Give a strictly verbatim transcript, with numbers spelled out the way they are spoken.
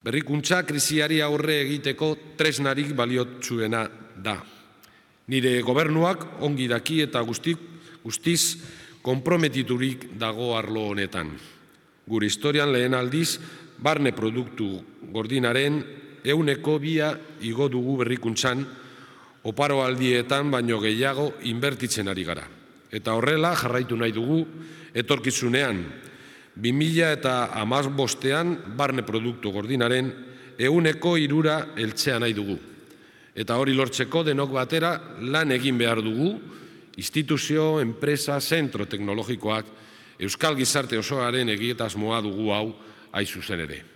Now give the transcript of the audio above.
Berrikuntza krisiari aurre egiteko tresnarik baliotsuena da. Nire gobernuak ongi daki eta guztiz konprometiturik dago arlo honetan. Gure historian lehen aldiz, barne produktu gordinaren ehuneko bia igo dugu berrikuntzan, oparo aldietan baino gehiago inbertitzen ari gara. Eta horrela jarraitu nahi dugu etorkizunean, bi mila hamabostean barne produktu gordinaren ehuneko hirura heltzea nahi dugu. Eta hori lortzeko denok batera lan egin behar dugu, instituzio, enpresa, zentro teknologikoak, euskal gizarte osoaren egitasmoa dugu hau hain zuzen ere.